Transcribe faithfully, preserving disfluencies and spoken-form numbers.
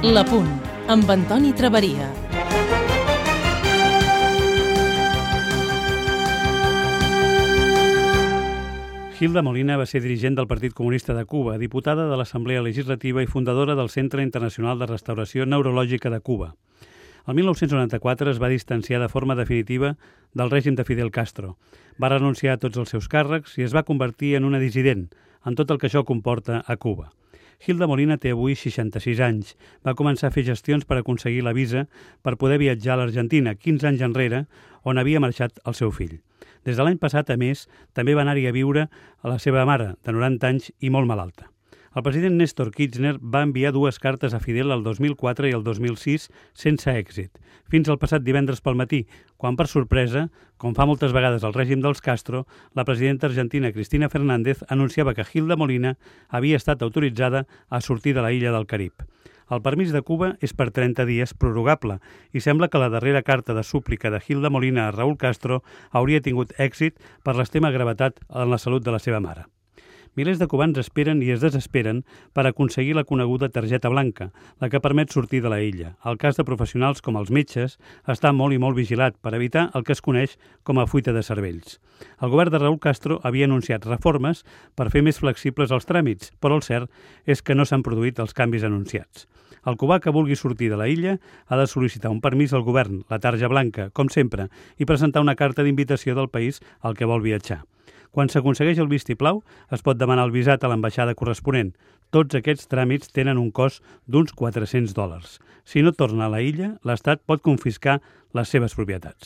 L'Apunt, amb Antoni Traveria. Hilda Molina va ser dirigent del Partit Comunista de Cuba, diputada de l'Assemblea Legislativa i fundadora del Centre Internacional de Restauració Neurològica de Cuba. El mil nou-cents noranta-quatre es va distanciar de forma definitiva del règim de Fidel Castro. Va renunciar a tots els seus càrrecs i es va convertir en una dissident, en tot el que això comporta a Cuba. Hilda Molina té avui seixanta-sis anys. Va començar a fer gestions per aconseguir la visa per poder viatjar a l'Argentina, quinze anys enrere, on havia marxat el seu fill. Des de l'any passat, a més, també va anar-hi a viure a la seva mare, de noranta anys i molt malalta. El president Néstor Kirchner va enviar dues cartes a Fidel el dos mil quatre i el dos mil sis sense èxit, fins al passat divendres pel matí, quan, per sorpresa, com fa moltes vegades el règim dels Castro, la presidenta argentina Cristina Fernández anunciava que Hilda Molina havia estat autoritzada a sortir de la illa del Carib. El permís de Cuba és per trenta dies prorrogable i sembla que la darrera carta de súplica de Hilda Molina a Raúl Castro hauria tingut èxit per l'extrema gravetat en la salut de la seva mare. Milers de cubans esperen i es desesperen per aconseguir la coneguda targeta blanca, la que permet sortir de la illa. El cas de professionals com els metges està molt i molt vigilat per evitar el que es coneix com a fuita de cervells. El govern de Raúl Castro havia anunciat reformes per fer més flexibles els tràmits, però el cert és que no s'han produït els canvis anunciats. El cubà que vulgui sortir de la illa ha de sol·licitar un permís al govern, la tarja blanca, com sempre, i presentar una carta d'invitació del país al que vol viatjar. Quan s'aconsegueix el vistiplau, es pot demanar el visat a l'ambaixada corresponent. Tots aquests tràmits tenen un cost d'uns quatre-cents dòlars. Si no torna a la illa, l'Estat pot confiscar les seves propietats.